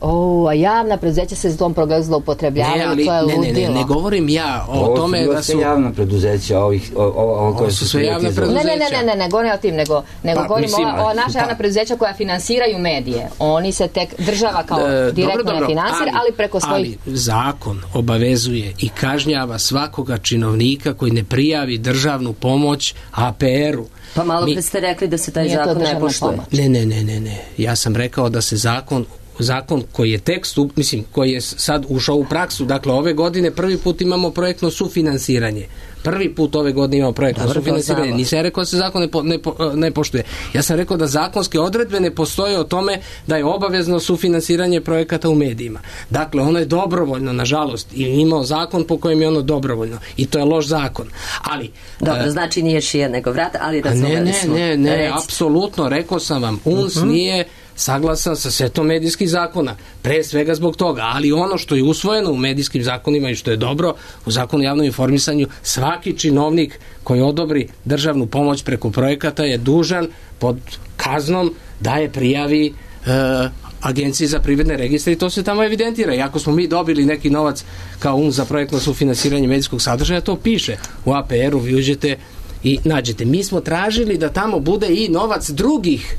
a javna preduzeća se s tom programom zloupotrebljavaju, to je ludilo. Ne govorim ja o tome da su javna preduzeća, ovo su sve javna preduzeća. Ne govorim o tim, nego govorim o naša javna preduzeća koja finansiraju medije. Oni se tek, država kao direktno ne finansira, ali preko svojih... Ali zakon obavezuje i kažnjava svakoga činovnika koji ne prijavi državnu pomoć APR-u. Pa malo pre ste rekli da se taj zakon ne poštuje. Ne. Ja sam rekao da se zakon koji je tekst, koji je sad ušao u praksu, dakle ove godine prvi put imamo projektno sufinansiranje. Prvi put ove godine imamo projektno sufinansiranje. Nisam ja rekao da se zakon ne poštuje. Ja sam rekao da zakonske odredbe ne postoje o tome da je obavezno sufinansiranje projekata u medijima. Dakle, ono je dobrovoljno, nažalost, i imao zakon po kojem je ono dobrovoljno. I to je loš zakon. Ali... Dobro, znači nije šija nego vrat, ali razumeli smo. Ne, apsolutno, rekao sam vam, UNS nije saglasan sa setom medijskih zakona, pre svega zbog toga, ali ono što je usvojeno u medijskim zakonima i što je dobro u zakonu o javnom informisanju, svaki činovnik koji odobri državnu pomoć preko projekata je dužan pod kaznom da je prijavi Agenciji za privredne registre i to se tamo evidentira. I ako smo mi dobili neki novac kao UNS za projektno sufinansiranje medijskog sadržaja, to piše u APR-u, vi uđete i nađete. Mi smo tražili da tamo bude i novac drugih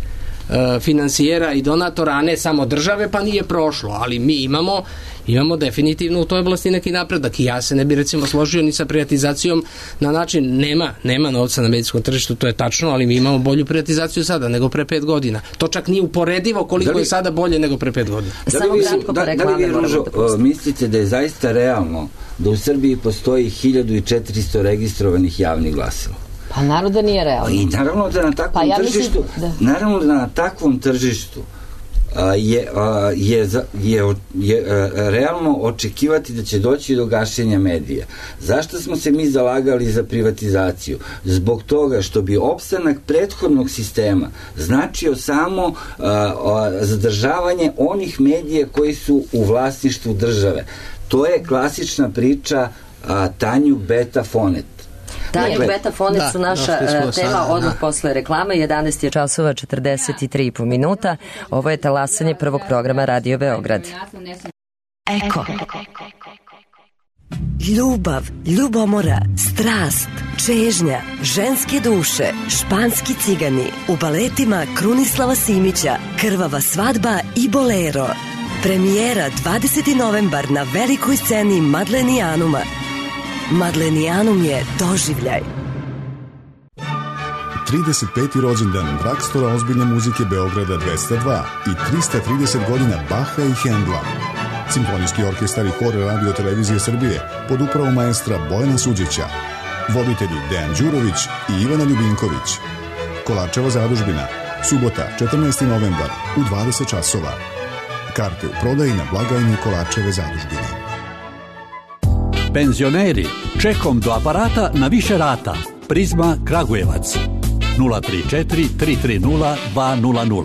finansijera i donatora, a ne samo države, pa nije prošlo, ali mi imamo definitivno u toj oblasti neki napredak i ja se ne bi recimo složio ni sa privatizacijom na način, nema novca na medijskom tržištu, to je tačno, ali mi imamo bolju privatizaciju sada nego pre 5 godina. To čak nije uporedivo koliko je sada bolje nego pre 5 godina. Da li vi, Ružo, mislite da je zaista realno da u Srbiji postoji 1400 registrovanih javnih glasila? Pa naravno da nije realno. I naravno da na takvom tržištu je realno očekivati da će doći do gašenja medija. Zašto smo se mi zalagali za privatizaciju? Zbog toga što bi opstanak prethodnog sistema značio samo zadržavanje onih medija koji su u vlasništvu države. To je klasična priča Tanju Beta Fonet. Tanju Beta Fonet su naša tema odmah posle reklame. 11 je časova 43,5 minuta. Ovo je talasanje prvog programa Radio Beograd. Eko. Ljubav, ljubomora, strast, čežnja, ženske duše, španski cigani, u baletima Krunislava Simića, Krvava svadba i Bolero. Premijera 20. novembar na velikoj sceni Madlenijanuma. Madlenijanum je doživljaj. 35. rođendan Dragstora ozbiljne muzike Beograda 202 i 330 godina Baha i Hendla. Simfonijski orkestar i hor Radio Televizije Srbije pod upravom maestra Bojana Suđića. Voditelji Dejan Đurović i Ivana Ljubinković. Kolarčeva zadužbina. Subota, 14. novembar u 20 časova. Karte u prodaji na blagajni Kolarčeve zadužbine. Penzioneri, čekom do aparata na više rata. Prizma Kragujevac 034 330 200.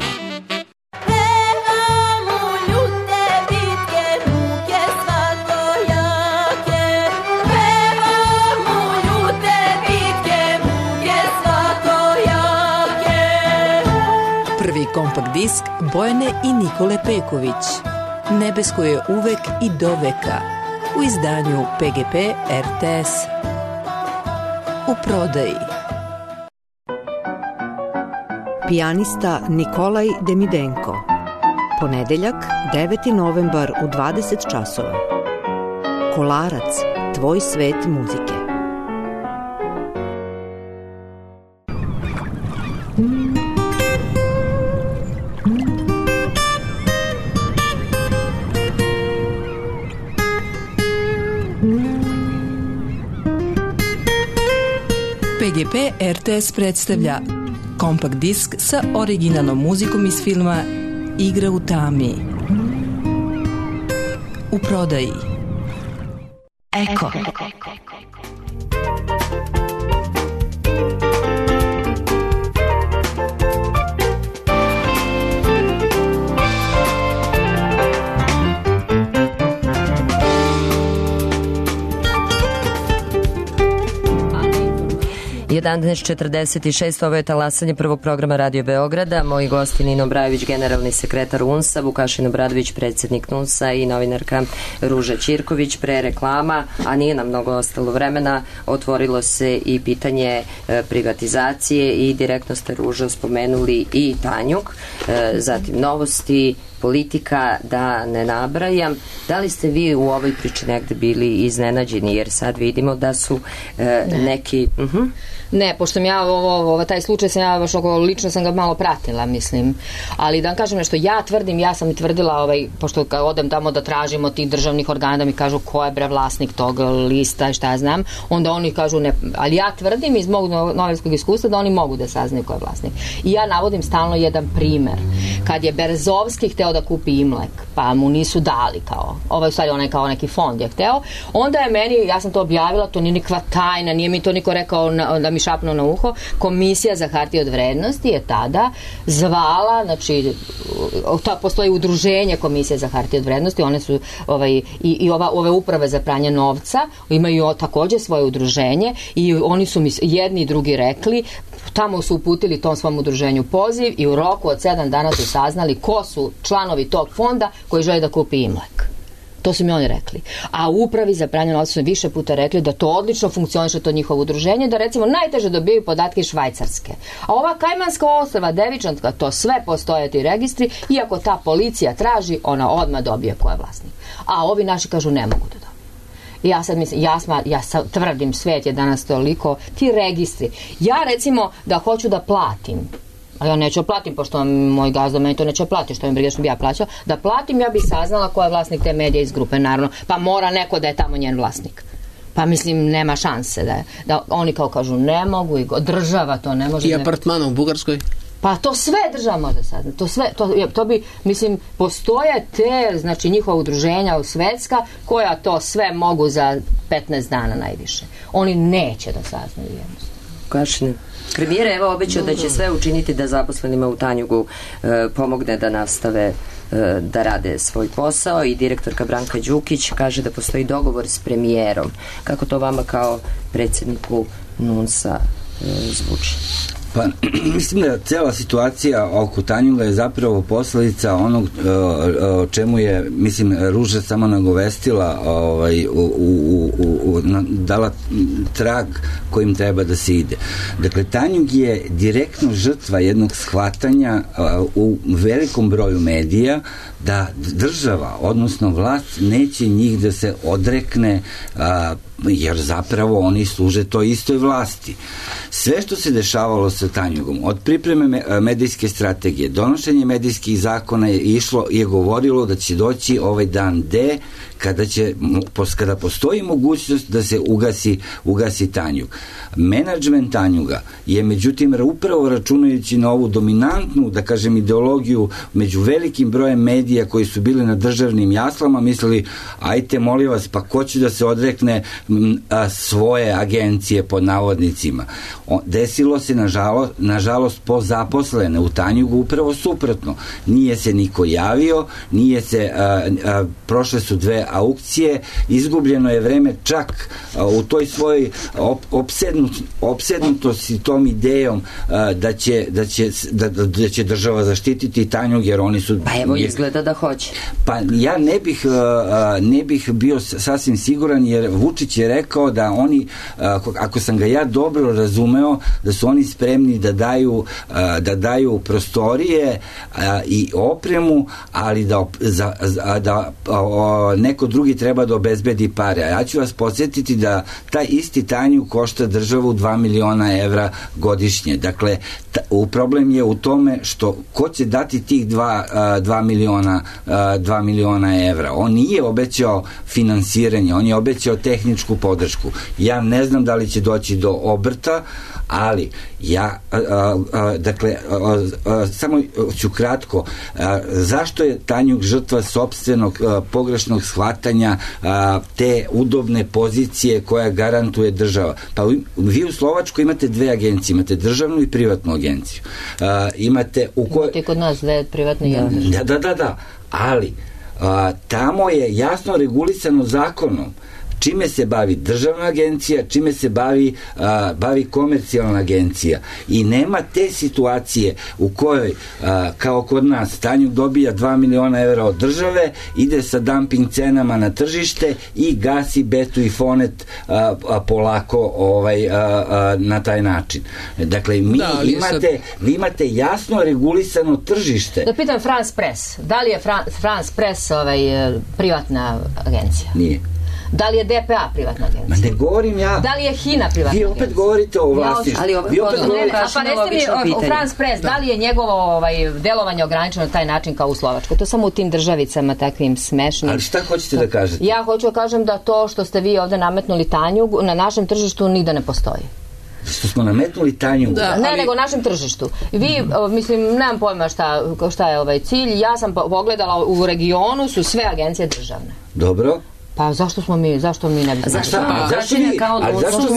Prvi kompakt disk Bojane i Nikole Peković. Nebesko je uvek i do veka. U izdanju PGP RTS. U prodaji. Pijanista Nikolaj Demidenko. Ponedeljak, 9. novembar u 20 časova. Kolarac, tvoj svet muzike. PGP RTS predstavlja kompakt disk sa originalnom muzikom iz filma Igra u tami. U prodaji. Eko. Je 11:46, ovo je talasanje prvog programa Radio Beograda. Moji gosti Nino Brajević, generalni sekretar UNS-a, Vukašin Obradović, predsjednik NUNS-a i novinarka Ruža Ćirković. Pre reklama, a nije nam mnogo ostalo vremena, otvorilo se i pitanje privatizacije i direktno ste, Ruža, spomenuli i Tanjuk, zatim novosti, politika, da ne nabrajam. Da li ste vi u ovoj priči negde bili iznenađeni, jer sad vidimo da su neki... Ne, pošto sam ja taj slučaj sam ja baš lično sam ga malo pratila, mislim. Ali da vam kažem nešto, ja tvrdim, ja sam i tvrdila, pošto kad odem tamo da tražimo tih državnih organa da mi kažu ko je bre vlasnik tog lista i šta ja znam, onda oni kažu ne, ali ja tvrdim iz mog novinskog iskustva da oni mogu da saznaju ko je vlasnik. I ja navodim stalno jedan primer. Kad je Berezovski hteo da kupi Imlek, pa mu nisu dali u stvari onaj kao neki fond je hteo, onda je meni, ja sam to objavila, to nije nikakva tajna, nije mi to niko rekao da mi šapnuo na uho, Komisija za hartije od vrednosti je tada zvala, znači postoji udruženje Komisije za hartije od vrednosti, one su ove uprave za pranje novca imaju takođe svoje udruženje i oni su mi jedni i drugi rekli, tamo su uputili tom svom udruženju poziv i u roku od 7 dana su saznali ko su članovi tog fonda koji žele da kupi Imlek. To su mi oni rekli. A u upravi za pranje novca su više puta rekli da to odlično funkcioniše, to njihovo udruženje, da recimo najteže dobijaju podatke iz Švajcarske. A ova Kajmanska ostrva, Devičanska, to sve postoje ti registri, iako ta policija traži, ona odmah dobije ko je vlasnik. A ovi naši kažu ne mogu da dobiju. I ja sad mislim, ja tvrdim, svet je danas toliko, ti registri. Ja recimo da hoću da platim, ali ja neću platim, pošto moj gazda meni to neće platiti, što mi briga što bi ja plaćala, da platim, ja bi saznala ko je vlasnik te medije iz grupe, naravno, pa mora neko da je tamo njen vlasnik. Pa mislim, nema šanse da oni kao kažu ne mogu i država to ne može. I apartmana u Bugarskoj? Pa to sve država može saznati. To bi, mislim, postoje te, znači njihova udruženja svetska koja to sve mogu za 15 dana najviše. Oni neće da saznaju jednostavno. Kašine. Premijer evo obećao da će sve učiniti da zaposlenima u Tanjugu pomogne da nastave da rade svoj posao i direktorka Branka Đukić kaže da postoji dogovor s premijerom. Kako to vama kao predsjedniku NUNS-a zvuči? Pa, mislim da cela situacija oko Tanjuga je zapravo posledica onog o čemu je, mislim, Ruža samo nagovestila, dala trag kojim treba da se ide. Dakle, Tanjug je direktno žrtva jednog shvatanja u velikom broju medija da država, odnosno vlast, neće njih da se odrekne, jer zapravo oni služe toj istoj vlasti. Sve što se dešavalo sa Tanjugom, od pripreme medijske strategije, donošenje medijskih zakona je govorilo da će doći ovaj dan D, kada postoji mogućnost da se ugasi Tanjug. Menadžment Tanjuga je, međutim, upravo računajući na ovu dominantnu, da kažem, ideologiju među velikim brojem medija koji su bili na državnim jaslama, mislili, ajte, molim vas, pa ko će da se odrekne svoje agencije pod navodnicima. Desilo se, nažalost, po zaposlene u Tanjugu upravo suprotno. Nije se niko javio, prošle su 2 aukcije, izgubljeno je vreme čak u toj svojoj opsednutosti tom idejom da će država zaštititi Tanjug, jer oni su... Pa evo, izgleda da hoće. Pa ja ne bih bio sasvim siguran, jer Vučić je rekao da oni, ako sam ga ja dobro razumeo, da su oni spremni da daju prostorije i opremu, ali da neko drugi treba da obezbedi pare. A ja ću vas podsjetiti da taj isti Tanjug košta državu 2 miliona evra godišnje. Dakle, problem je u tome što ko će dati tih 2 miliona evra. On nije obećao finansiranje, on je obećao tehničku podršku. Ja ne znam da li će doći do obrta, ali samo ću kratko, zašto je Tanjug žrtva sopstvenog pogrešnog shvatanja te udobne pozicije koja garantuje država? Pa vi u Slovačkoj imate 2 agencije, imate državnu i privatnu agenciju. Imate kod nas 2 privatne i jedna. Da, ali tamo je jasno regulisano zakonom čime se bavi državna agencija, čime se bavi komercijalna agencija. I nema te situacije u kojoj, kao kod nas, Tanjug dobija 2 miliona evra od države, ide sa dumping cenama na tržište i gasi Betu i Fonet polako na taj način. Dakle, vi imate jasno regulisano tržište. Da pitam France Press, da li je France Press privatna agencija? Nije. Da li je DPA privatna agencija? Ma ne govorim ja. Da li je HINA privatna agencija? Vi opet govorite o vlasti. Pa recite mi, u France Press, da li je njegovo delovanje ograničeno na taj način kao u Slovačkoj? To samo u tim državicama takvim smešnim. Ali šta hoćete da kažete? Ja hoću da kažem da to što ste vi ovde nametnuli Tanjug na našem tržištu nigde ne postoji. Što smo nametnuli Tanjug? Ne, nego našem tržištu. Vi, mislim, nemam pojma šta je cilj. Ja sam pogledala, u regionu su sve agencije državne. Dobro. Pa zašto mi ne bi... Zašto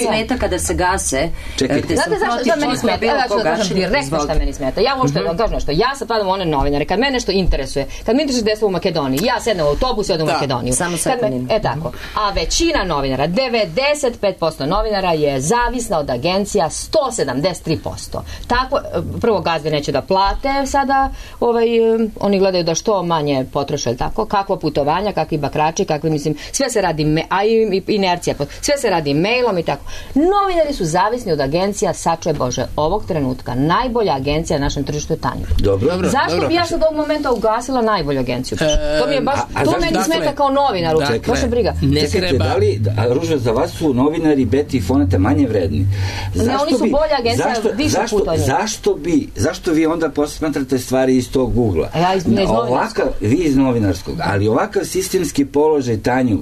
smeta kada se gase? Znate zašto meni smeta? Ja ću da kažem direktno šta meni smeta. Ja možete da kažem nešto. Ja sad padam u one novinare. Kad me nešto interesuje, kad me interesuje desilo u Makedoniji, ja sednem u autobus i odem u Makedoniju. Samo sekundim. Tako. A većina novinara, 95% novinara je zavisna od agencija, 173%. Tako, prvo gazde neće da plate sada, oni gledaju da što manje potroše, tako, kakvo putovanja, kakvi bakrači, kakvi, mislim, sve se radi, a i inercija, sve se radi mailom i tako. Novinari su zavisni od agencija, sačuvaj Bože, ovog trenutka najbolja agencija na našem tržištu je Tanjug. Dobro. Zašto bi ja sad ovog momenta ugasila najbolju agenciju? To mi je baš, to meni smeta kao novinaru. Baš je briga. Čekajte, da li, Ruža, za vas su novinari Beti i Foneta manje vredni? Ne, oni su bolja agencija, više puta od njih. Zašto vi onda posmatrate stvari iz tog ugla? Vi iz novinarskog, ali ovakav sistemski položaj Tanjuga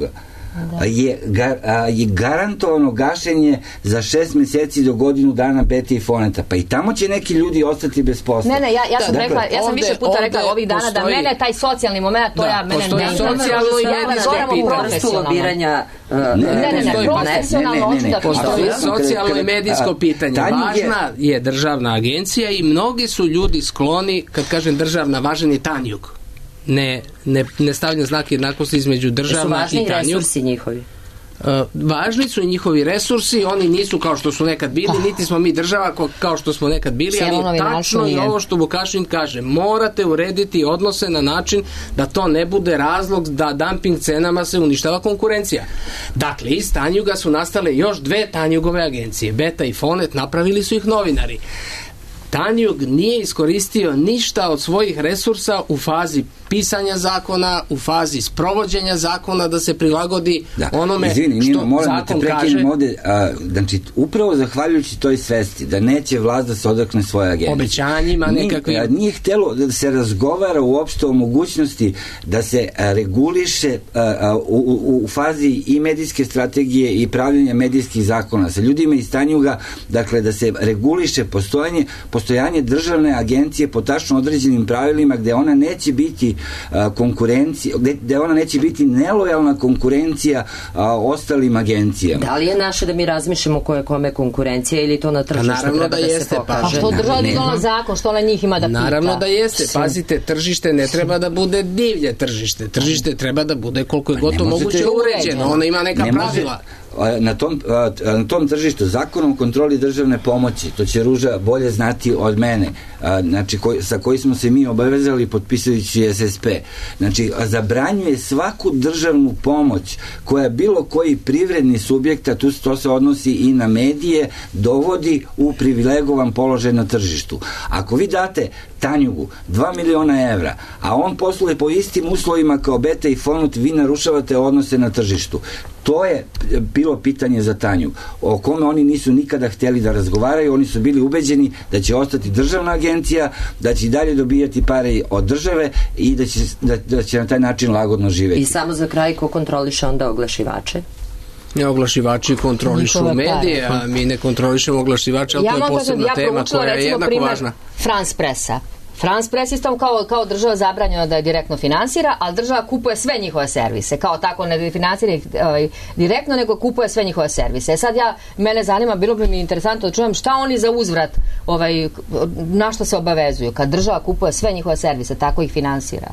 je garantovano gašenje za 6 meseci do godinu dana Beti i Foneta. Pa i tamo će neki ljudi ostati bez posla. Ne, ja sam rekla, ja sam više puta rekla ovih dana da mene taj socijalni moment, to ja mene ne socijalno i medijsko pitanje. Profesionalno hoću da postoji socijalno i medijsko pitanje. Važna je državna agencija i mnogi su ljudi skloni, kad kažem državna, važan je Tanjug. ne stavlja znak jednakosti između država i Tanjug. Su važni resursi njihovi? Važni su i njihovi resursi, oni nisu kao što su nekad bili, niti smo mi država kao što smo nekad bili, ali tačno je ovo što Vukašin kaže, morate urediti odnose na način da to ne bude razlog da dumping cenama se uništava konkurencija. Dakle, iz Tanjuga su nastale još dve Tanjugove agencije, Beta i Fonet, napravili su ih novinari. Tanjug nije iskoristio ništa od svojih resursa u fazi pisanja zakona, u fazi sprovođenja zakona da se prilagodi onome što zakon kaže. Ovde, znači, upravo zahvaljujući toj svesti da neće vlast da se odrekne svoje agencije. Obećanjima nekakvim. Nije htelo da se razgovara uopšte o mogućnosti da se reguliše u fazi i medijske strategije i pravljenja medijskih zakona sa ljudima iz Tanjuga, dakle da se reguliše postojanje državne agencije po tačno određenim pravilima gde ona neće biti konkurencija, gde ona neće biti nelojalna konkurencija ostalim agencijama. Da li je naše da mi razmišljamo ko je kome konkurencija ili to na tržištu treba da se pokaže? A što država ne donala zakon, što ona njih ima da pita? Naravno da jeste. Pazite, tržište ne treba da bude divlje tržište. Tržište treba da bude koliko je gotovo moguće uređeno. Ono ima neka pravila. Na tom tržištu zakonom o kontroli državne pomoći, to će Ruža bolje znati od mene, znači sa koji smo se mi obavezali potpisujući SSP, znači zabranjuje svaku državnu pomoć koja bilo koji privredni subjekt, a to se odnosi i na medije, dovodi u privilegovan položaj na tržištu. Ako vi date Tanjugu 2 miliona evra, a on posluje po istim uslovima kao Beta i Fonut, vi narušavate odnose na tržištu. To je bilo pitanje za Tanjug, o kome oni nisu nikada htjeli da razgovaraju, oni su bili ubeđeni da će ostati državna agencija, da će i dalje dobijati pare od države i da će na taj način lagodno živjeti. I samo za kraj, ko kontroliše onda oglašivače? Oglašivači kontrolišu medije, a mi ne kontrolišemo oglašivače, ali to je posebna tema koja je jednako važna. France Pressa. France Press istom kao država zabranjeno da je direktno finansira, ali država kupuje sve njihove servise. Kao tako ne finansira ih direktno, nego kupuje sve njihove servise. Sad mene zanima, bilo bi mi interesantno da čujem šta oni za uzvrat, na što se obavezuju. Kad država kupuje sve njihove servise, tako ih finansira.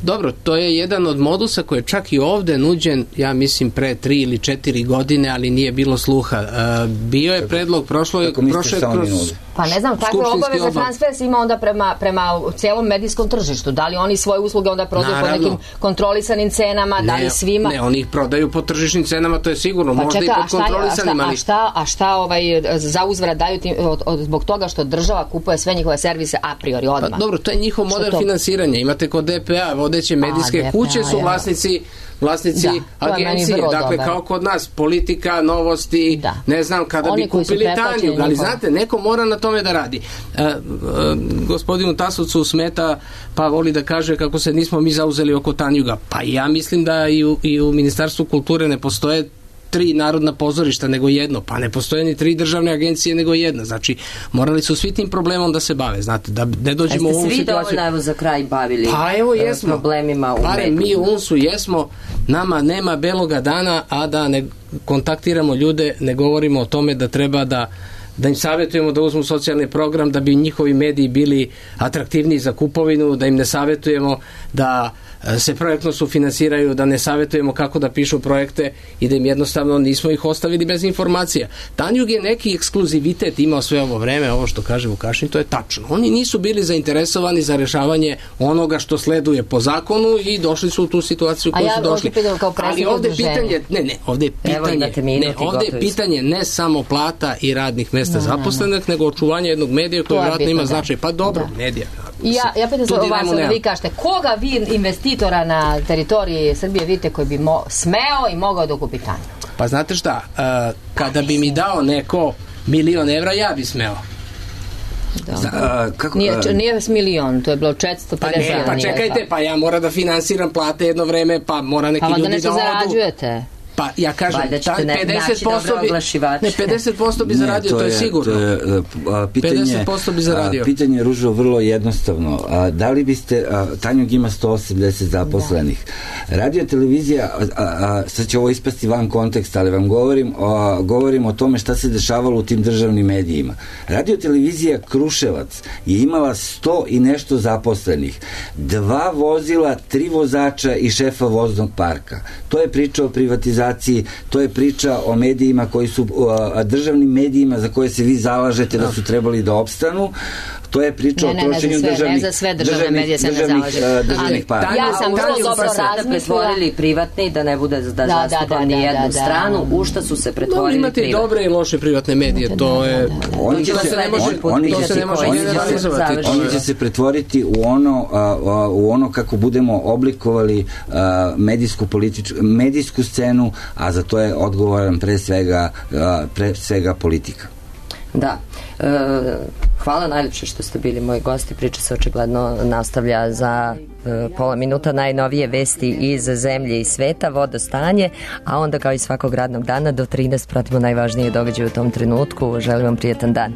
Dobro, to je jedan od modusa koji je čak i ovde nuđen, ja mislim, pre 3 ili 4 godine, ali nije bilo sluha. Bio je predlog prošle kroz... Pa ne znam, takve obaveze France Press ima onda prema cijelom medijskom tržištu. Da li oni svoje usluge onda prodaju po nekim kontrolisanim cenama, da li svima? Ne, oni ih prodaju po tržišnim cenama, to je sigurno, možda i pod kontrolisanim, ali... A šta za uzvrat daju zbog toga što država kupuje sve njihove servise a priori odmah? Pa dobro, to je njihov model finansiranja. Imate kod DPA, vodeće medijske kuće su vlasnici agencije, dakle kao kod nas Politika, Novosti, ne znam, kada bi kupili Tanjug, ali znate, neko mora na tome da radi. Gospodinu Tasovcu smeta, pa voli da kaže kako se nismo mi zauzeli oko Tanjuga. Pa ja mislim da i u Ministarstvu kulture ne postoje 3 narodna pozorišta nego jedno, pa ne postoje ni 3 državne agencije nego jedna, znači morali su svi tim problemom da se bave, znate, da ne dođemo u ovu situaciju. Jeste svi dovoljno za kraj bavili problemima u mediju? Mi u UNS-u jesmo, nama nema beloga dana, a da ne kontaktiramo ljude, ne govorimo o tome da treba da im savjetujemo da uzmu socijalni program, da bi njihovi mediji bili atraktivniji za kupovinu, da im ne savjetujemo da se projektno sufinansiraju, da ne savjetujemo kako da pišu projekte i da im jednostavno nismo ih ostavili bez informacija. Tanjug je neki ekskluzivitet imao sve ovo vreme, ovo što kaže Vukašin, to je tačno. Oni nisu bili zainteresovani za rešavanje onoga što sleduje po zakonu i došli su u tu situaciju koju su došli. Ali ovde je pitanje, ovde je pitanje ne samo plata i radnih mesta zaposlenih, nego očuvanje jednog medija koji vjerojatno ima značaj. Pa dobro, medija. Ja pitam se o vas, vi kažete, koga vi investitora na teritoriji Srbije vidite koji bi smeo i mogao da okupi Tanjug? Pa znate šta, kada bi mi dao neko 1.000.000 evra, ja bi smeo. Nije milion, to je bilo 450. Pa čekajte, pa ja moram da finansiram plate jedno vreme, pa mora neki ljudi da odu. Pa da nešto zarađujete. Pa ja kažem, Valjda ćete naći dobre oglašivače. Ne, 50% bi zaradio, to je sigurno. 50% bi zaradio. Pitanje, Ružo, vrlo jednostavno. Da li biste, Tanjug ima 180 zaposlenih. Radio televizija, sad će ovo ispasti van konteksta, ali vam govorim o tome šta se dešavalo u tim državnim medijima. Radio televizija Kruševac je imala 100 i nešto zaposlenih. 2 vozila, 3 vozača i šefa voznog parka. To je priča o privatizaciji, to je priča o medijima koji su, državnim medijima za koje se vi zalažete da su trebali da opstanu. To je priča o trošenju državnih... Ne za sve državne medije se ne zalaže. para. Ja sam vrlo dobro razmislila. Pretvorili privatni, da ne bude da zastupam ni jednu stranu, u šta su se pretvorili privatni. Imate i dobre i loše privatne medije, to je... Oni će se pretvoriti u ono kako budemo oblikovali medijsku scenu, a za to je odgovoran pre svega politika. Da. Hvala najljepše što ste bili moji gosti. Priča se očigledno nastavlja za pola minuta. Najnovije vesti iz zemlje i sveta, vodostanje, a onda kao i svakog radnog dana do 13 pratimo najvažnije događaje u tom trenutku. Želim vam prijetan dan.